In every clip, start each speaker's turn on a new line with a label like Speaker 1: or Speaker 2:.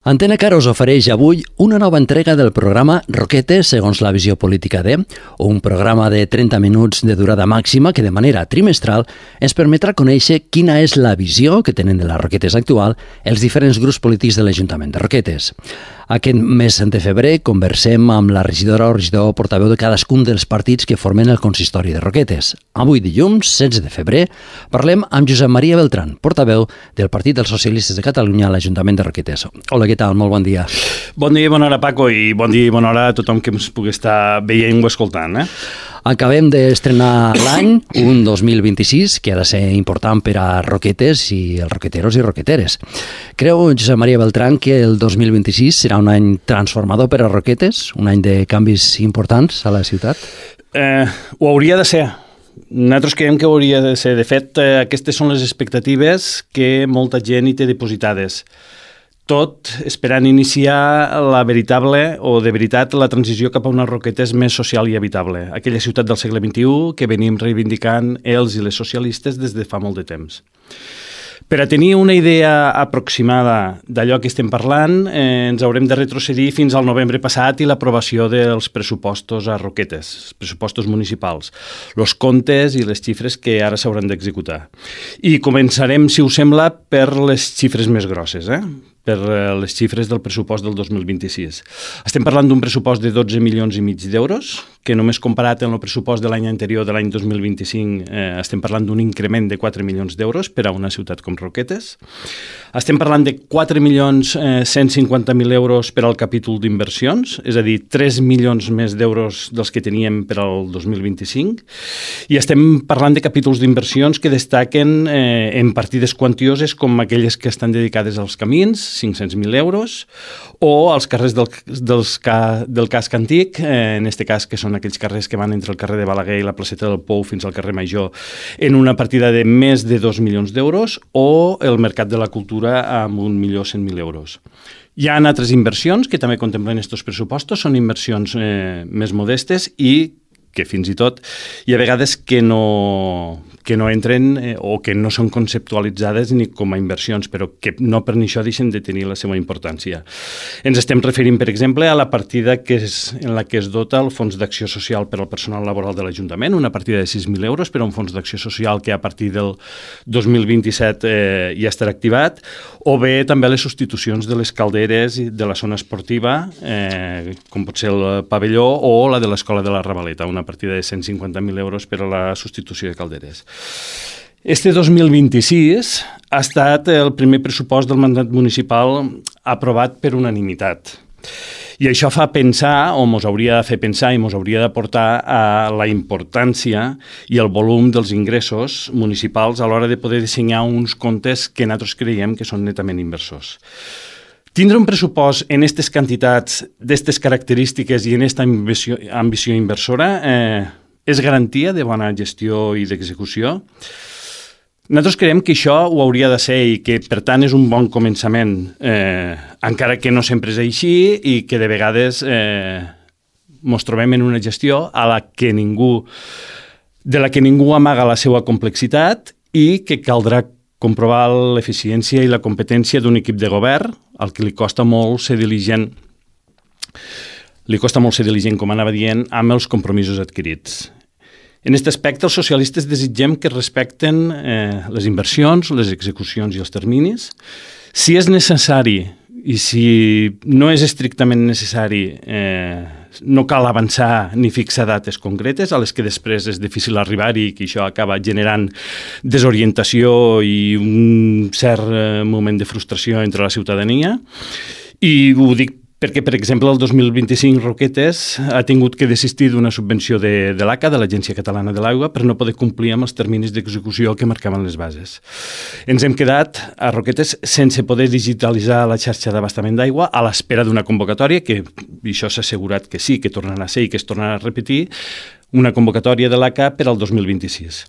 Speaker 1: Antena Car us ofereix avui una nova entrega del programa Roquetes segons la visió política de, un programa de 30 minuts de durada màxima que de manera trimestral ens permetrà conèixer quina és la visió que tenen de les Roquetes actual els diferents grups polítics de l'Ajuntament de Roquetes. Aquest mes de febrer conversem amb la regidora o regidor portaveu de cadascun dels partits que formen el consistori de Roquetes. Avui, dilluns, 16 de febrer, parlem amb Josep Maria Beltrán, portaveu del Partit dels Socialistes de Catalunya a l'Ajuntament de Roquetes. Hola, què tal? Molt bon dia.
Speaker 2: Bon dia i bona hora, Paco, i bon dia i bona hora a tothom que ens pugui estar veient o escoltant.
Speaker 1: Acabem d'estrenar l'any, un 2026, que ha de ser important per a Roquetes i els roqueteros i roqueteres. Creu, Josep Maria Beltrán, que el 2026 serà un any transformador per a Roquetes, un any de canvis importants a la ciutat?
Speaker 2: Ho hauria de ser. Nosaltres creiem que ho hauria de ser. De fet, aquestes són les expectatives que molta gent hi té depositades. Tot esperant iniciar la veritable o de veritat la transició cap a unes Roquetes més social i habitable, aquella ciutat del segle XXI que venim reivindicant els i les socialistes des de fa molt de temps. Per a tenir una idea aproximada d'allò que estem parlant, ens haurem de retrocedir fins al novembre passat i l'aprovació dels pressupostos a Roquetes, els pressupostos municipals, els comptes i les xifres que ara s'hauran d'executar. I començarem, si us sembla, per les xifres més grosses, per les xifres del pressupost del 2026. Estem parlant d'un pressupost de 12 milions i mig d'euros, que només comparat amb el pressupost de l'any anterior, de l'any 2025, estem parlant d'un increment de 4 milions d'euros per a una ciutat com Roquetes. Estem parlant de 4.150.000 euros per al capítol d'inversions, és a dir, 3 milions més d'euros dels que teníem per al 2025, i estem parlant de capítols d'inversions que destaquen en partides quantioses com aquelles que estan dedicades als camins, 500.000 euros, o als carrers del casc antic, en aquest cas que són aquells carrers que van entre el carrer de Balaguer i la placeta del Pou fins al carrer Major, en una partida de més de 2 milions d'euros, o el Mercat de la Cultura amb 1.100.000 euros. Hi ha altres inversions que també contemplen aquests pressupostos, són inversions més modestes i que fins i tot hi ha vegades que no entren o que no són conceptualitzades ni com a inversions, però que no per això deixen de tenir la seva importància. Ens estem referint, per exemple, a la partida en la que es dota el Fons d'Acció Social per al personal laboral de l'Ajuntament, una partida de 6.000 euros per a un fons d'acció social que a partir del 2027 ja estarà activat, o bé també les substitucions de les calderes de la zona esportiva, com pot ser el pavelló o la de l'Escola de la Ravaleta, una partida de 150.000 euros per a la substitució de calderes. Este 2026 ha estat el primer pressupost del mandat municipal aprovat per unanimitat. I això fa pensar, o ens hauria de fer pensar i ens hauria de portar a la importància i el volum dels ingressos municipals a l'hora de poder dissenyar uns comptes que nosaltres creiem que són netament inversors. Tindre un pressupost en aquestes quantitats, d'aquestes característiques i en aquesta ambició inversora és garantia de bona gestió i d'execució? Nosaltres creiem que això ho hauria de ser i que, per tant, és un bon començament, encara que no sempre és així i que de vegades ens trobem en una gestió de la que ningú amaga la seva complexitat i que caldrà comprovar l'eficiència i la competència d'un equip de govern, al que li costa molt ser diligent, com anava dient, amb els compromisos adquirits. En aquest aspecte, els socialistes desitgem que respecten les inversions, les execucions i els terminis. Si és necessari i si no és estrictament necessari, no cal avançar ni fixar dates concretes a les que després és difícil arribar-hi i que això acaba generant desorientació i un cert moment de frustració entre la ciutadania. I ho dic perquè, per exemple, el 2025 Roquetes ha tingut que desistir d'una subvenció de l'ACA, de l'Agència Catalana de l'Aigua, per no poder complir amb els terminis d'execució que marcaven les bases. Ens hem quedat a Roquetes sense poder digitalitzar la xarxa d'abastament d'aigua a l'espera d'una convocatòria, que això s'ha assegurat que sí, que tornarà a ser i que es tornarà a repetir, una convocatòria de l'ACA per al 2026.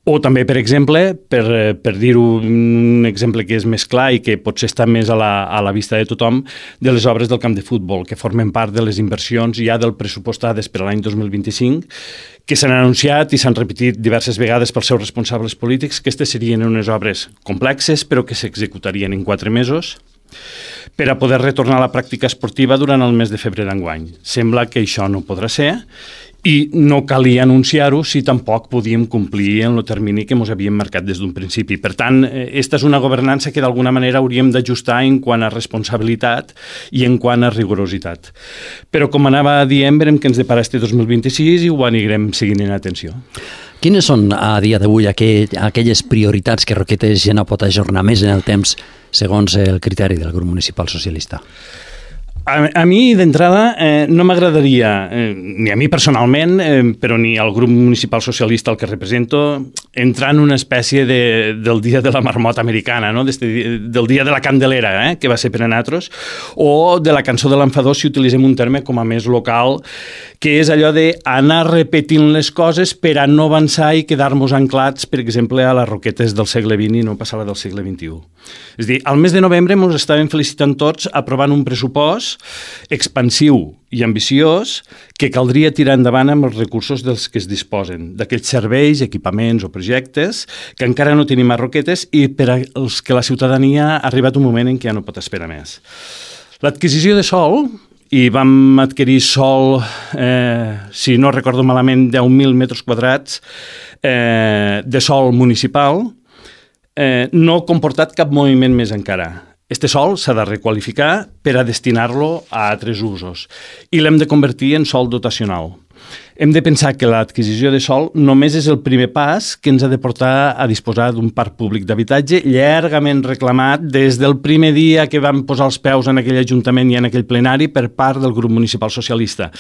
Speaker 2: O també, per exemple, per dir-ho un exemple que és més clar i que potser està més a la vista de tothom, de les obres del camp de futbol, que formen part de les inversions ja del pressupostades per a l'any 2025, que s'han anunciat i s'han repetit diverses vegades pels seus responsables polítics, que aquestes serien unes obres complexes, però que s'executarien en 4 mesos, per a poder retornar a la pràctica esportiva durant el mes de febrer d'enguany. Sembla que això no podrà ser i no calia anunciar-ho si tampoc podíem complir en el termini que ens havíem marcat des d'un principi. Per tant, aquesta és una governança que d'alguna manera hauríem d'ajustar en quant a responsabilitat i en quant a rigorositat. Però com anava dient, verem que ens depara este 2026 i ho anirem seguint en atenció.
Speaker 1: Quines són a dia d'avui aquelles prioritats que Roquetes ja no pot ajornar més en el temps segons el criteri del grup municipal socialista?
Speaker 2: A mi, d'entrada, no m'agradaria, ni a mi personalment, però ni al grup municipal socialista al que represento, entrar en una espècie del dia de la marmota americana, no? Del dia de la Candelera, que va ser per a nosaltres, o de la cançó de l'enfadós, si utilitzem un terme com a més local, que és allò d'anar repetint les coses per a no avançar i quedar-nos anclats, per exemple, a les Roquetes del segle XX i no passar a la del segle XXI. És a dir, al mes de novembre ens estàvem felicitant tots aprovant un pressupost expansiu i ambiciós que caldria tirar endavant amb els recursos dels que es disposen, d'aquells serveis, equipaments o projectes que encara no tenim a Roquetes i per als que la ciutadania ha arribat un moment en què ja no pot esperar més. L'adquisició de sòl, i vam adquirir sòl, si no recordo malament, 10.000 metres quadrats de sòl municipal, no ha comportat cap moviment més encara. Este sòl s'ha de requalificar per a destinar-lo a altres usos i l'hem de convertir en sòl dotacional. Hem de pensar que l'adquisició de sòl només és el primer pas que ens ha de portar a disposar d'un parc públic d'habitatge llargament reclamat des del primer dia que vam posar els peus en aquell ajuntament i en aquell plenari per part del grup municipal socialista.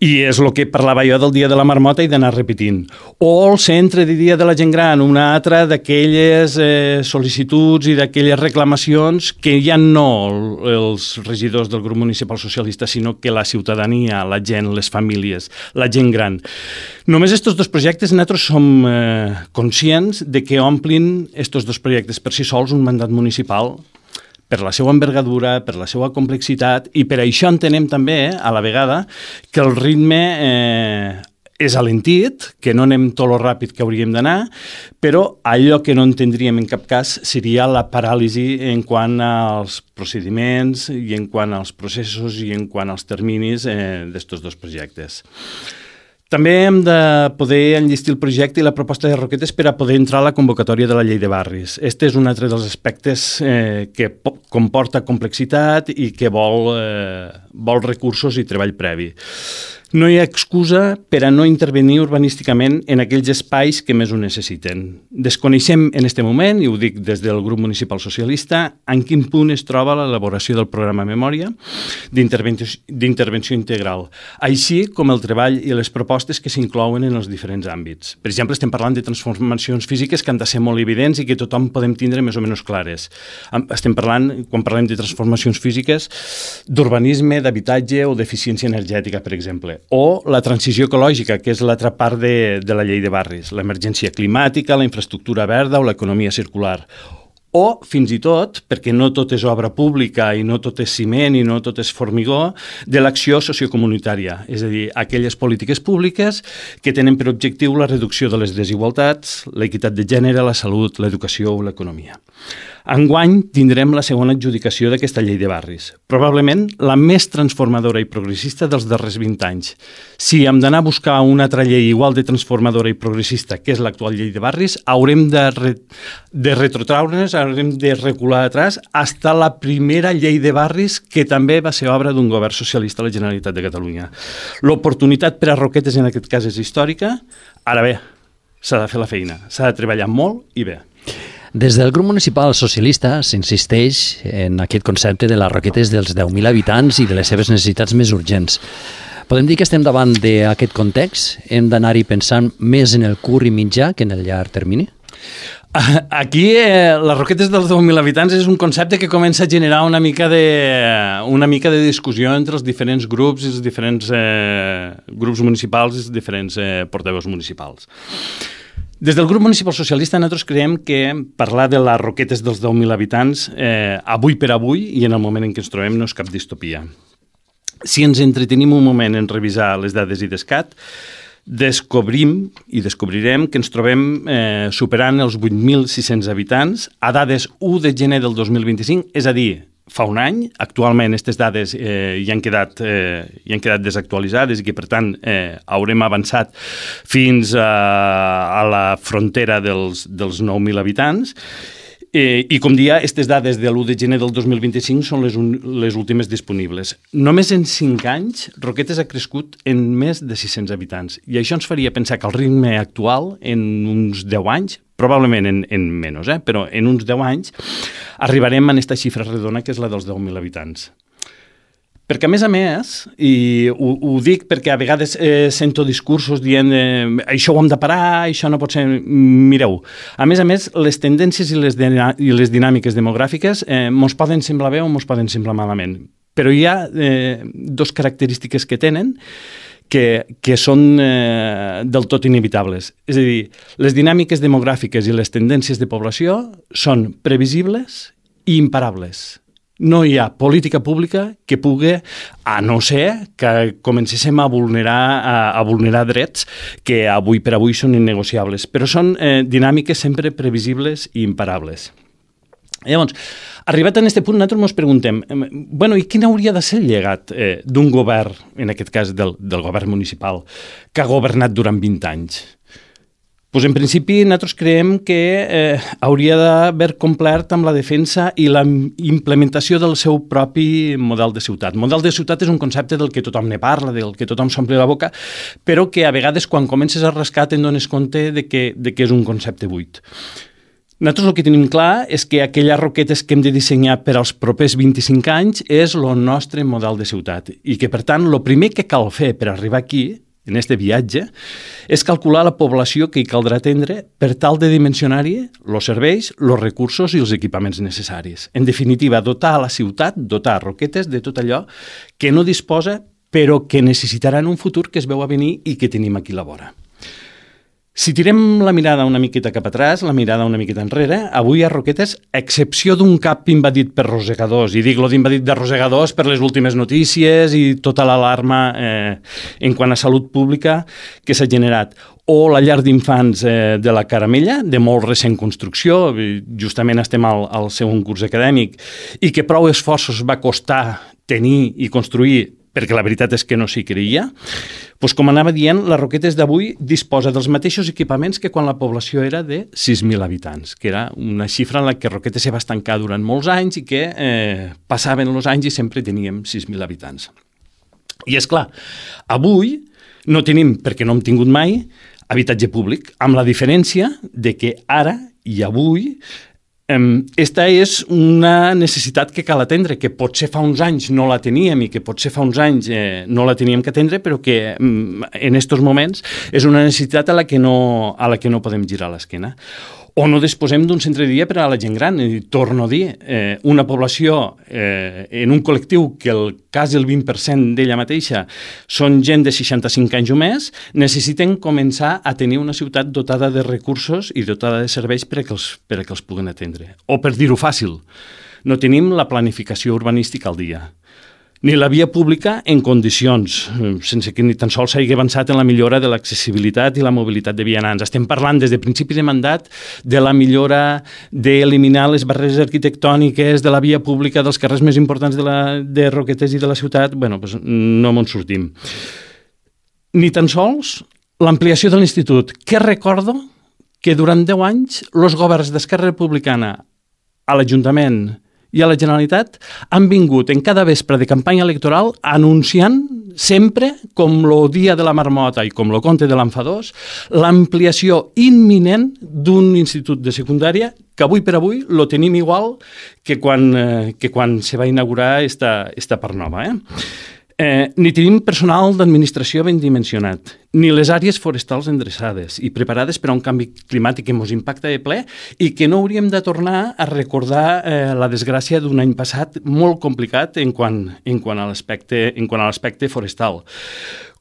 Speaker 2: I és el que parlava jo del dia de la marmota i d'anar repetint. O el centre de dia de la gent gran, una altra d'aquelles sol·licituds i d'aquelles reclamacions que ja no els regidors del grup municipal socialista, sinó que la ciutadania, la gent, les famílies, la gent gran. Només estos dos projectes nosaltres som conscients de que omplin estos dos projectes per si sols un mandat municipal per la seva envergadura, per la seva complexitat i per això entenem també, a la vegada, que el ritme és alentit, que no anem tot lo ràpid que hauríem d'anar, però allò que no entendríem en cap cas seria la paràlisi en quant als procediments i en quant als processos i en quant als terminis d'estos dos projectes. També hem de poder enllistir el projecte i la proposta de Roquetes per a poder entrar a la convocatòria de la llei de barris. Este és un altre dels aspectes que comporta complexitat i que vol recursos i treball previ. No hi ha excusa per a no intervenir urbanísticament en aquells espais que més ho necessiten. Desconeixem en aquest moment, i ho dic des del grup municipal socialista, en quin punt es troba l'elaboració del programa Memòria d'intervenció integral, així com el treball i les propostes que s'inclouen en els diferents àmbits. Per exemple, estem parlant de transformacions físiques que han de ser molt evidents i que tothom podem tindre més o menys clares. Estem parlant, quan parlem de transformacions físiques, d'urbanisme, d'habitatge o d'eficiència energètica, per exemple. O la transició ecològica, que és l'altra part de la llei de barris, l'emergència climàtica, la infraestructura verda o l'economia circular. O, fins i tot, perquè no tot és obra pública i no tot és ciment i no tot és formigó, de l'acció sociocomunitària, és a dir, aquelles polítiques públiques que tenen per objectiu la reducció de les desigualtats, l'equitat de gènere, la salut, l'educació o l'economia. Enguany tindrem la segona adjudicació d'aquesta llei de barris, probablement la més transformadora i progressista dels darrers 20 anys. Si hem d'anar a buscar una altra llei igual de transformadora i progressista que és l'actual llei de barris, haurem de retrotraure'ns, haurem de recular atrás hasta la primera llei de barris que també va ser obra d'un govern socialista a la Generalitat de Catalunya. L'oportunitat per a Roquetes en aquest cas és històrica, ara bé, s'ha de fer la feina, s'ha de treballar molt i bé.
Speaker 1: Des del grup municipal socialista s'insisteix en aquest concepte de les Roquetes dels 10.000 habitants i de les seves necessitats més urgents. Podem dir que estem davant d'aquest context? Hem d'anar-hi pensant més en el curt i mitjà que en el llarg termini?
Speaker 2: Aquí, les Roquetes dels 10.000 habitants és un concepte que comença a generar una mica de discussió entre els diferents grups i els diferents grups municipals i els diferents portaveus municipals. Des del grup municipal socialista nosaltres creiem que parlar de les Roquetes dels 10.000 habitants avui per avui i en el moment en què ens trobem no és cap distopia. Si ens entretenim un moment en revisar les dades IDESCAT, descobrirem que ens trobem superant els 8.600 habitants a dades 1 de gener del 2025, és a dir, fa un any. Actualment aquestes dades ja han quedat desactualitzades i que, per tant, haurem avançat fins a la frontera dels 9.000 habitants. I, com dia, aquestes dades de l'1 de gener del 2025 són les últimes disponibles. Només en 5 anys, Roquetes ha crescut en més de 600 habitants. I això ens faria pensar que el ritme actual, en uns 10 anys, probablement en menys, però en uns 10 anys, arribarem a aquesta xifra redona, que és la dels 10.000 habitants. Perquè, a més, i ho dic perquè a vegades sento discursos dient això ho hem de parar, això no pot ser... Mireu, a més, les tendències i les dinàmiques demogràfiques mos poden semblar bé o mos poden semblar malament. Però hi ha dues característiques que tenen que són del tot inevitables. És a dir, les dinàmiques demogràfiques i les tendències de població són previsibles i imparables. No hi ha política pública que pugui, a no ser que comencéssim a vulnerar drets que avui per avui són innegociables, però són dinàmiques sempre previsibles i imparables. Llavors, arribat a aquest punt, nosaltres ens preguntem, i quin hauria de ser el llegat d'un govern, en aquest cas del govern municipal, que ha governat durant 20 anys? Pues en principi, nosaltres creiem que hauria d'haver complert amb la defensa i la implementació del seu propi model de ciutat. Model de ciutat és un concepte del que tothom ne parla, del que tothom s'omple la boca, però que a vegades quan comences a rascar te'n dones compte de que és un concepte buit. Nosaltres el que tenim clar és que aquelles Roquetes que hem de dissenyar per als propers 25 anys és el nostre model de ciutat i que, per tant, el primer que cal fer per arribar aquí, en este viatge, és calcular la població que hi caldrà atendre per tal de dimensionar-hi els serveis, els recursos i els equipaments necessaris. En definitiva, dotar la ciutat, dotar Roquetes de tot allò que no disposa, però que necessitarà en un futur que es veu a venir i que tenim aquí a la vora. Si tirem la mirada una miqueta cap atràs, la mirada una miqueta enrere, avui a Roquetes, a excepció d'un cap invadit per rosegadors, i dic-lo d'invadit de rosegadors per les últimes notícies i tota l'alarma en quant a salut pública que s'ha generat, o la llar d'infants de la Caramella, de molt recent construcció, justament estem al segon curs acadèmic, i que prou esforços va costar tenir i construir, perquè la veritat és que no s'hi creia, doncs com anava dient, la Roquetes d'avui disposa dels mateixos equipaments que quan la població era de 6.000 habitants, que era una xifra en la que Roquetes se va estancar durant molts anys i que passaven els anys i sempre teníem 6.000 habitants. I és clar, avui no tenim, perquè no hem tingut mai, habitatge públic, amb la diferència de que ara i avui esta és una necessitat que cal atendre, que potser fa uns anys no la teníem i que potser fa uns anys no la teníem que atendre, però que en aquests moments és una necessitat a la que no podem girar l'esquena. O no disposem d'un centre de dia per a la gent gran. I torno a dir, una població en un col·lectiu que quasi el 20% d'ella mateixa són gent de 65 anys o més, necessiten començar a tenir una ciutat dotada de recursos i dotada de serveis per a que els puguen atendre. O per dir-ho fàcil, no tenim la planificació urbanística al dia, ni la via pública en condicions, sense que ni tan sols s'hagi avançat en la millora de l'accessibilitat i la mobilitat de vianants. Estem parlant des de principi de mandat de la millora d'eliminar les barreres arquitectòniques de la via pública dels carrers més importants de Roquetes i de la ciutat. No me'n sortim. Ni tan sols l'ampliació de l'institut, que recordo que durant 10 anys els governs d'Esquerra Republicana a l'Ajuntament i a la Generalitat han vingut en cada vespre de campanya electoral anunciant sempre, com el dia de la marmota i com el conte de l'enfadós, l'ampliació imminent d'un institut de secundària que avui per avui lo tenim igual que quan se va inaugurar esta part nova. Ni tenim personal d'administració ben dimensionat, ni les àrees forestals endreçades i preparades per a un canvi climàtic que ens impacta de ple i que no hauríem de tornar a recordar la desgràcia d'un any passat molt complicat en quant a l'aspecte forestal.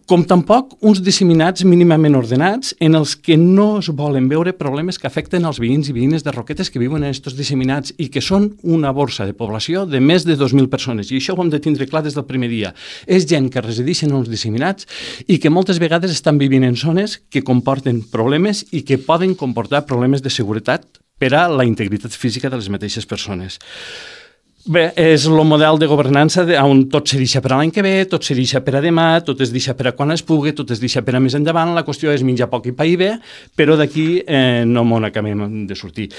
Speaker 2: Com tampoc uns disseminats mínimament ordenats en els que no es volen veure problemes que afecten els veïns i veïnes de Roquetes que viuen en aquests disseminats i que són una borsa de població de més de 2.000 persones. I això ho hem de tindre clar des del primer dia. És gent que resideix en els disseminats i que moltes vegades estan vivint en zones que comporten problemes i que poden comportar problemes de seguretat per a la integritat física de les mateixes persones. Bé, és el model de governança on tot se deixa per a l'any que ve, tot se deixa per a demà, tot es deixa per a quan es pugui, tot es deixa per a més endavant. La qüestió és menjar poc i pair bé, però d'aquí no m'ho acabem de sortir.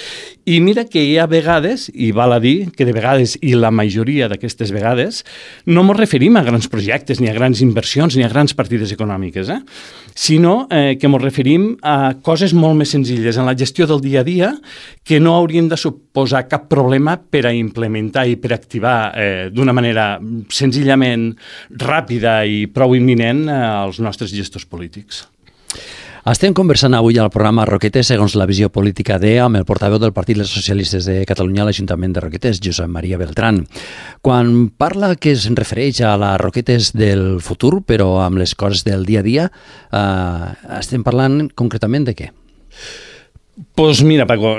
Speaker 2: I mira que hi ha vegades, i val a dir que de vegades, i la majoria d'aquestes vegades, no ens referim a grans projectes, ni a grans inversions, ni a grans partides econòmiques, sinó que ens referim a coses molt més senzilles en la gestió del dia a dia que no haurien de suposar cap problema per a implementar i per activar d'una manera senzillament ràpida i prou imminent als nostres gestors polítics.
Speaker 1: Estem conversant avui al programa Roquetes segons la visió política amb el portaveu del Partit dels Socialistes de Catalunya a l'Ajuntament de Roquetes, Josep Maria Beltrán. Quan parla que es refereix a les Roquetes del futur, però amb les coses del dia a dia, estem parlant concretament de què?
Speaker 2: Doncs mira, Paco,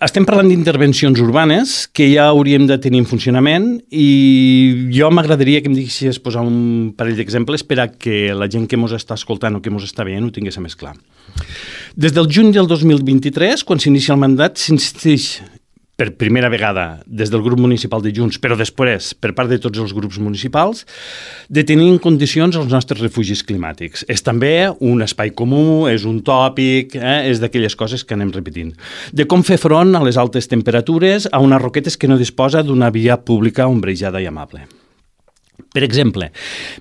Speaker 2: estem parlant d'intervencions urbanes que ja hauríem de tenir en funcionament i jo m'agradaria que em diguessis posar un parell d'exemples per a que la gent que ens està escoltant o que ens està veient ho tingués més clar. Des del juny del 2023, quan s'inicia el mandat, s'insisteix per primera vegada des del grup municipal de Junts, però després per part de tots els grups municipals, de tenir en condicions els nostres refugis climàtics. És també un espai comú, és un tòpic, és d'aquelles coses que anem repetint. De com fer front a les altes temperatures a unes Roquetes que no disposa d'una via pública ombrejada i amable. Per exemple,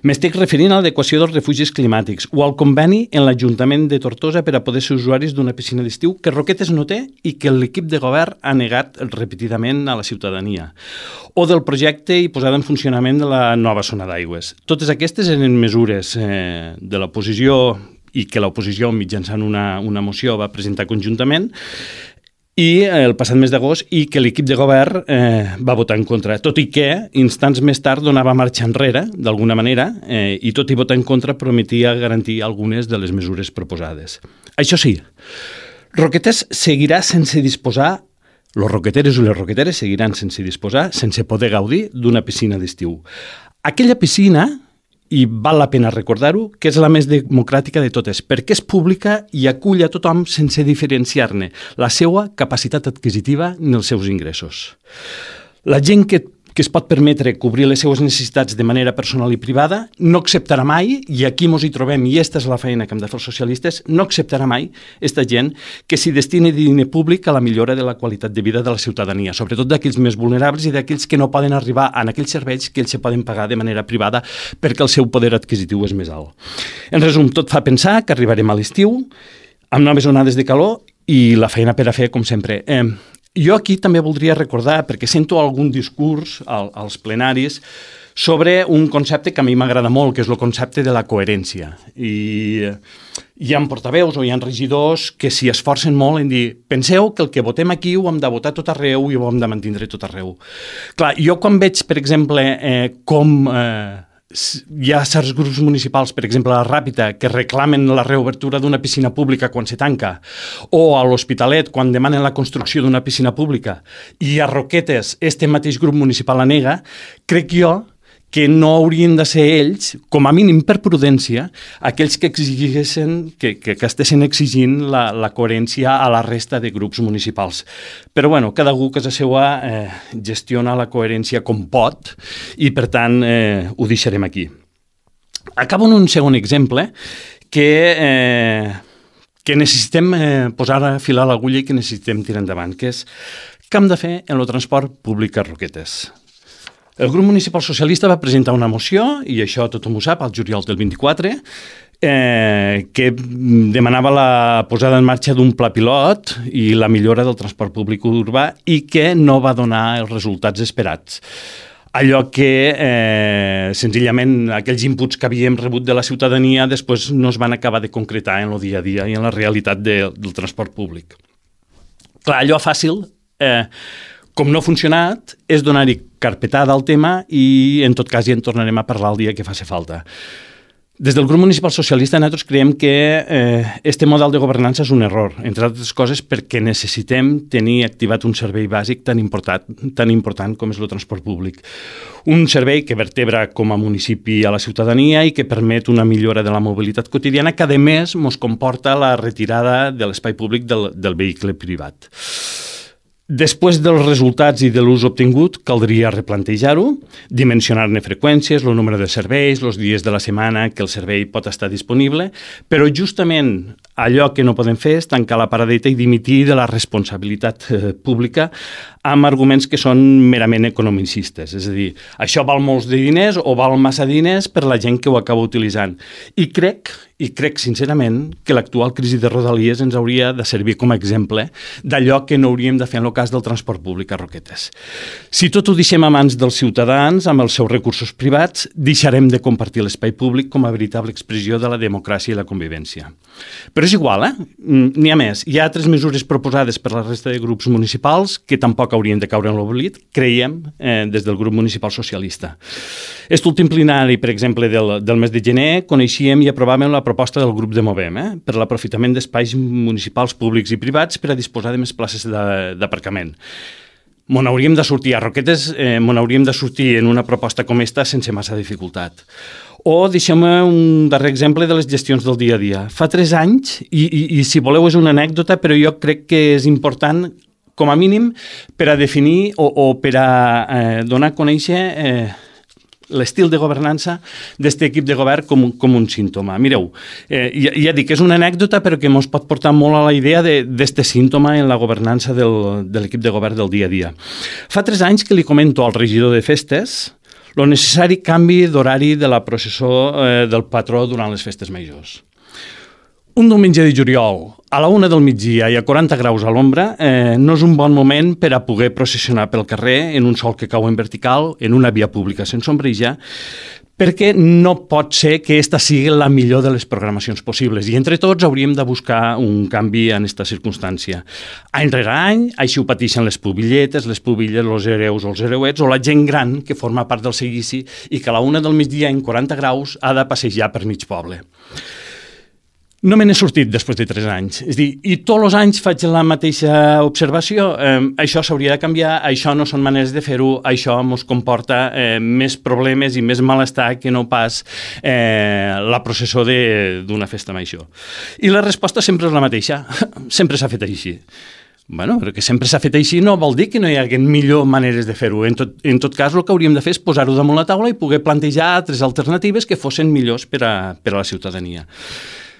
Speaker 2: m'estic referint a l'adequació dels refugis climàtics o al conveni en l'Ajuntament de Tortosa per a poder ser usuaris d'una piscina d'estiu que Roquetes no té i que l'equip de govern ha negat repetidament a la ciutadania. O del projecte i posada en funcionament de la nova zona d'aigües. Totes aquestes eren mesures de l'oposició i que l'oposició mitjançant una moció va presentar conjuntament i el passat mes d'agost i que l'equip de govern va votar en contra, tot i que instants més tard donava marxa enrere, d'alguna manera, i tot i votar en contra prometia garantir algunes de les mesures proposades. Això sí, Roquetes seguirà sense disposar, els roqueteros i les roqueteres seguiran sense disposar, sense poder gaudir d'una piscina d'estiu. Aquella piscina, i val la pena recordar-ho, que és la més democràtica de totes, perquè és pública i acull a tothom sense diferenciar-ne la seva capacitat adquisitiva ni els seus ingressos. La gent que es pot permetre cobrir les seues necessitats de manera personal i privada no acceptarà mai, i aquí ens hi trobem, i aquesta és la feina que hem de fer els socialistes, no acceptarà mai aquesta gent que s'hi destini diner públic a la millora de la qualitat de vida de la ciutadania, sobretot d'aquells més vulnerables i d'aquells que no poden arribar a aquells serveis que ells se poden pagar de manera privada perquè el seu poder adquisitiu és més alt. En resum, tot fa pensar que arribarem a l'estiu amb noves onades de calor i la feina per a fer, com sempre. Jo aquí també voldria recordar, perquè sento algun discurs als plenaris sobre un concepte que a mi m'agrada molt, que és el concepte de la coherència. I hi ha portaveus o hi ha regidors que s'hi esforcen molt en dir penseu que el que votem aquí ho hem de votar tot arreu i ho hem de mantindre tot arreu. Clar, jo quan veig, per exemple, com hi ha certs grups municipals, per exemple a la Ràpita, que reclamen la reobertura d'una piscina pública quan se tanca, o a l'Hospitalet quan demanen la construcció d'una piscina pública, i a Roquetes este mateix grup municipal la nega, crec jo que no haurien de ser ells, com a mínim per prudència, aquells que exigeixen, que estessin exigint la coherència a la resta de grups municipals. Però bueno, cada algú que és a seua gestiona la coherència com pot i per tant ho deixarem aquí. Acabo en un segon exemple que necessitem posar a filar l'agulla i que necessitem tirar endavant, que és què hem de fer en el transport públic a Roquetes. El grup municipal socialista va presentar una moció, i això tothom ho sap, al juliol del 24, que demanava la posada en marxa d'un pla pilot i la millora del transport públic urbà i que no va donar els resultats esperats. Allò que senzillament aquells inputs que havíem rebut de la ciutadania després no es van acabar de concretar en el dia a dia i en la realitat del transport públic. Clar, allò fàcil, com no ha funcionat, és donar-hi carpetada al tema i en tot cas ja en tornarem a parlar el dia que faci falta. Des del grup municipal socialista nosaltres creiem que este model de governança és un error, entre altres coses perquè necessitem tenir activat un servei bàsic tan important com és el transport públic. Un servei que vertebra com a municipi a la ciutadania i que permet una millora de la mobilitat quotidiana que a més ens comporta la retirada de l'espai públic del vehicle privat. Després dels resultats i de l'ús obtingut, caldria replantejar-ho, dimensionar-ne freqüències, el número de serveis, els dies de la setmana que el servei pot estar disponible, però justament allò que no podem fer és tancar la paradeta i dimitir de la responsabilitat pública amb arguments que són merament economicistes. És a dir, això val molts de diners o val massa diners per la gent que ho acaba utilitzant. I crec sincerament que l'actual crisi de Rodalies ens hauria de servir com a exemple d'allò que no hauríem de fer en el cas del transport públic a Roquetes. Si tot ho deixem a mans dels ciutadans, amb els seus recursos privats, deixarem de compartir l'espai públic com a veritable expressió de la democràcia i la convivència. Però és igual, n'hi ha més. Hi ha altres mesures proposades per la resta de grups municipals que tampoc haurien de caure en l'oblit, creiem, des del grup municipal socialista. Aquest últim plenari, per exemple, del mes de gener, coneixíem i aprovàvem la proposta del grup de Movem per l'aprofitament d'espais municipals públics i privats per a disposar de més places d'aparcament. M'on hauríem de sortir a Roquetes, m'on hauríem de sortir en una proposta com esta sense massa dificultat. O deixem-me un darrer exemple de les gestions del dia a dia. Fa 3 anys, i si voleu és una anècdota, però jo crec que és important, com a mínim, per a definir o per a donar a conèixer l'estil de governança d'aquest equip de govern com un símptoma. Mireu, ja dic, és una anècdota però que ens pot portar molt a la idea d'aquest símptoma en la governança de l'equip de govern del dia a dia. Fa 3 anys que li comento al regidor de festes el necessari canvi d'horari de la processó del patró durant les festes majors. Un diumenge de juliol, a la 1 del migdia i a 40 graus a l'ombra, no és un bon moment per a poder processionar pel carrer en un sol que cau en vertical, en una via pública sense ombreja, perquè no pot ser que aquesta sigui la millor de les programacions possibles. I entre tots hauríem de buscar un canvi en aquesta circumstància. Any rere any, així ho pateixen les pubilletes, els hereus o els hereuets, o la gent gran que forma part del seguici i que a la 1 del migdia en 40 graus ha de passejar per mig poble. No me n'he sortit després de 3 anys. És a dir, i tots els anys faig la mateixa observació. Això s'hauria de canviar, això no són maneres de fer-ho, això ens comporta més problemes i més malestar que no pas la processó d'una festa major. I la resposta sempre és la mateixa. Sempre s'ha fet així. Bueno, però que sempre s'ha fet així no vol dir que no hi hagi millor maneres de fer-ho. En tot cas, el que hauríem de fer és posar-ho damunt la taula i poder plantejar altres alternatives que fossin millors per a la ciutadania.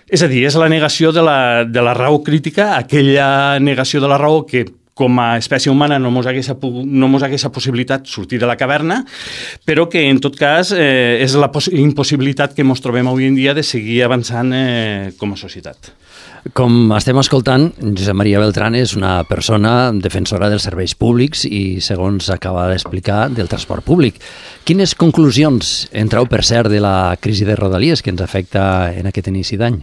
Speaker 2: És a dir, és la negació de la raó crítica, aquella negació de la raó que com a espècie humana no mos hagués la possibilitat sortir de la caverna, però que en tot cas és la impossibilitat que ens trobem avui en dia de seguir avançant com a societat.
Speaker 1: Com estem escoltant, Josep Maria Beltrán és una persona defensora dels serveis públics i, segons acaba d'explicar, del transport públic. Quines conclusions en treu, per cert, de la crisi de Rodalies que ens afecta en aquest inici d'any?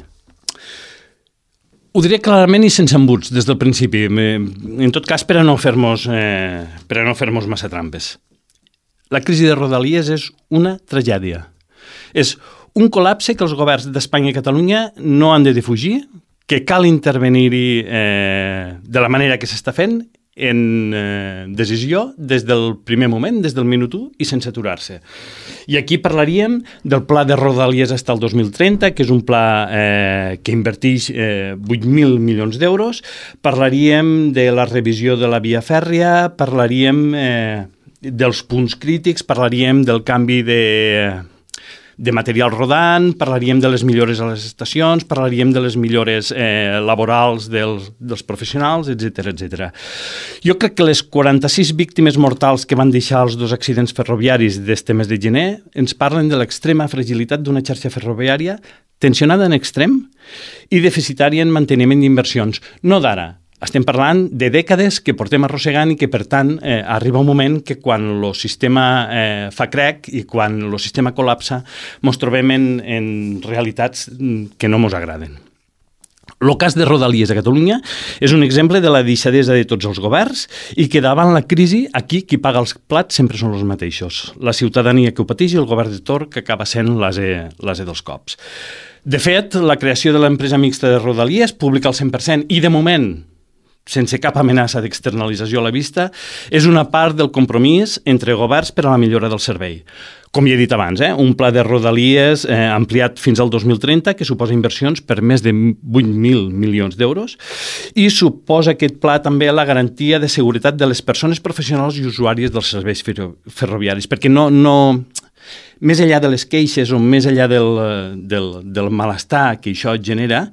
Speaker 2: Ho diré clarament i sense embuts des del principi, en tot cas per a no fer-nos massa trampes. La crisi de Rodalies és una tragèdia. És un col·lapse que els governs d'Espanya i Catalunya no han de defugir, que cal intervenir-hi de la manera que s'està fent en decisió des del primer moment, des del minut 1 i sense aturar-se. I aquí parlaríem del pla de Rodalies fins al 2030, que és un pla que inverteix 8.000 milions d'euros. Parlaríem de la revisió de la via fèrria, parlaríem dels punts crítics, parlaríem del canvi de material rodant, parlaríem de les millores a les estacions, parlaríem de les millores laborals dels professionals, etc. Jo crec que les 46 víctimes mortals que van deixar els 2 accidents ferroviaris d'este mes de gener ens parlen de l'extrema fragilitat d'una xarxa ferroviària tensionada en extrem i deficitària en manteniment d'inversions. No d'ara. Estem parlant de dècades que portem arrossegant i que, per tant, arriba un moment que quan el sistema fa crec i quan el sistema col·lapsa ens trobem en realitats que no ens agraden. El cas de Rodalies a Catalunya és un exemple de la deixadesa de tots els governs i que davant la crisi aquí qui paga els plats sempre són els mateixos. La ciutadania que ho pateix i el govern de torn que acaba sent l'ase dels cops. De fet, la creació de l'empresa mixta de Rodalies, pública al 100% i de moment sense cap amenaça d'externalització a la vista, és una part del compromís entre governs per a la millora del servei. Com ja he dit abans, un pla de Rodalies ampliat fins al 2030 que suposa inversions per més de 8.000 milions d'euros i suposa aquest pla també la garantia de seguretat de les persones professionals i usuàries dels serveis ferroviaris, perquè més enllà de les queixes o més enllà del malestar que això genera,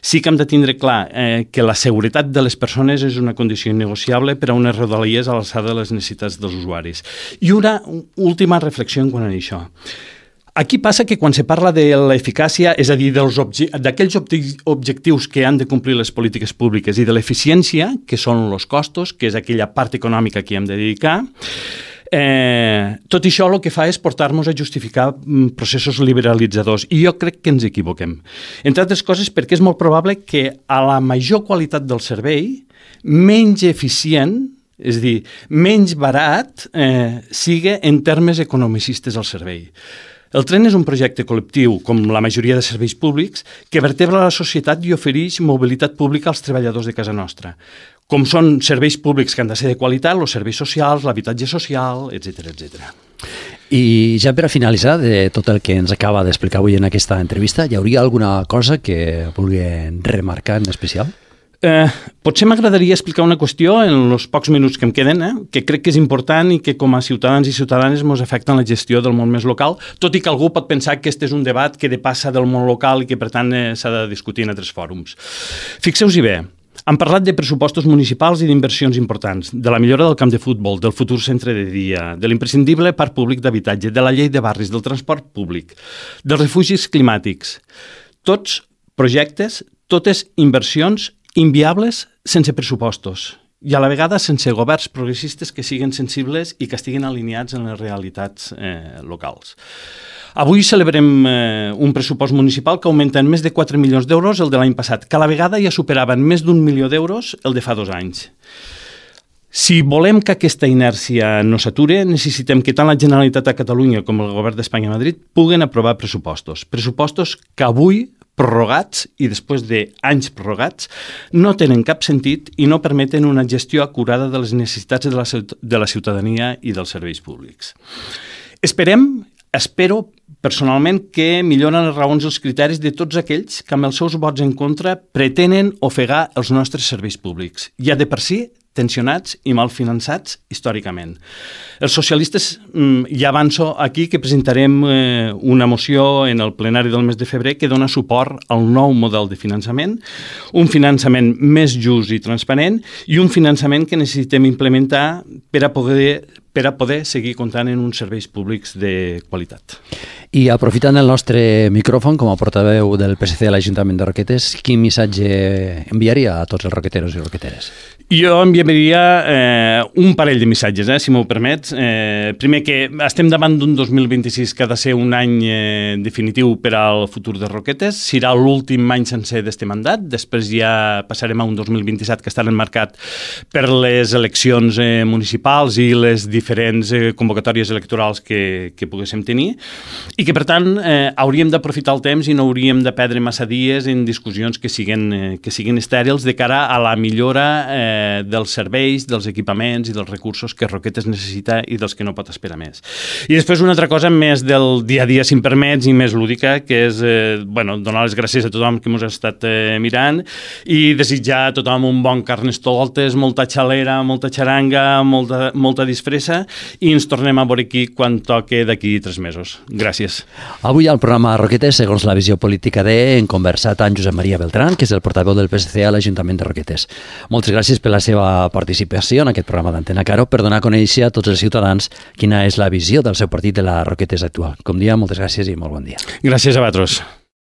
Speaker 2: sí que hem de tindre clar que la seguretat de les persones és una condició innegociable per a unes Rodalies a l'alçada de les necessitats dels usuaris. I una última reflexió en quant a això. Aquí passa que quan se parla de l'eficàcia, és a dir, d'aquells objectius que han de complir les polítiques públiques i de l'eficiència, que són els costos, que és aquella part econòmica que hem de dedicar, tot això el que fa és portar-nos a justificar processos liberalitzadors i jo crec que ens equivoquem. Entre altres coses perquè és molt probable que a la major qualitat del servei, menys eficient, és a dir, menys barat, sigui en termes economicistes el servei. El tren és un projecte col·lectiu, com la majoria de serveis públics, que vertebra la societat i ofereix mobilitat pública als treballadors de casa nostra, com són serveis públics que han de ser de qualitat, els serveis socials, l'habitatge social, etc.
Speaker 1: I ja per a finalitzar de tot el que ens acaba d'explicar avui en aquesta entrevista, hi hauria alguna cosa que vulgui remarcar en especial?
Speaker 2: Potser m'agradaria explicar una qüestió en els pocs minuts que em queden, que crec que és important i que com a ciutadans i ciutadanes ens afecta en la gestió del món més local, tot i que algú pot pensar que aquest és un debat que depassa del món local i que per tant s'ha de discutir en altres fòrums. Fixeu-vos-hi bé, hem parlat de pressupostos municipals i d'inversions importants, de la millora del camp de futbol, del futur centre de dia, de l'imprescindible parc públic d'habitatge, de la llei de barris, del transport públic, dels refugis climàtics. Tots projectes, totes inversions inviables sense pressupostos i a la vegada sense governs progressistes que siguin sensibles i que estiguin alineats en les realitats locals. Avui celebrem un pressupost municipal que augmenta en més de 4 milions d'euros el de l'any passat, que a la vegada ja superaven més d'1 milió d'euros el de fa 2 anys. Si volem que aquesta inèrcia no s'ature, necessitem que tant la Generalitat de Catalunya com el Govern d'Espanya a Madrid puguen aprovar pressupostos. Pressupostos que avui, prorrogats i després d'anys prorrogats, no tenen cap sentit i no permeten una gestió acurada de les necessitats de la ciutadania i dels serveis públics. Espero personalment que milloren les raons i els criteris de tots aquells que amb els seus vots en contra pretenen ofegar els nostres serveis públics, ja de per si tensionats i mal finançats històricament. Els socialistes ja avanço aquí que presentarem una moció en el plenari del mes de febrer que dona suport al nou model de finançament, un finançament més just i transparent i un finançament que necessitem implementar per a poder seguir comptant en uns serveis públics de qualitat.
Speaker 1: I aprofitant el nostre micròfon com a portaveu del PSC a l'Ajuntament de Roquetes, quin missatge enviaria a tots els roqueteros i roqueteres?
Speaker 2: Jo enviaria un parell de missatges, si m'ho permets. Primer, que estem davant d'un 2026 que ha de ser un any definitiu per al futur de Roquetes. Serà l'últim any sencer d'este mandat. Després ja passarem a un 2027 que estarà marcat per les eleccions municipals i les diferents convocatòries electorals que poguéssim tenir. I que, per tant, hauríem d'aprofitar el temps i no hauríem de perdre massa dies en discussions que siguin estèrils de cara a la millora dels serveis, dels equipaments i dels recursos que Roquetes necessita i dels que no pot esperar més. I després una altra cosa més del dia a dia, si em permets, i més lúdica, que és donar les gràcies a tothom que ens ha estat mirant i desitjar a tothom un bon Carnestoltes, molta xalera, molta xaranga, molta disfressa i ens tornem a veure aquí quan toque d'aquí 3 mesos. Gràcies.
Speaker 1: Avui al programa Roquetes, segons la visió política hem conversat amb Josep Maria Beltrán, que és el portaveu del PSC a l'Ajuntament de Roquetes. Moltes gràcies per la seva participació en aquest programa d'Antena Caro per donar a conèixer a tots els ciutadans quina és la visió del seu partit de la Roquetes actual. Com dia, moltes gràcies i molt bon dia.
Speaker 2: Gràcies a vosaltres.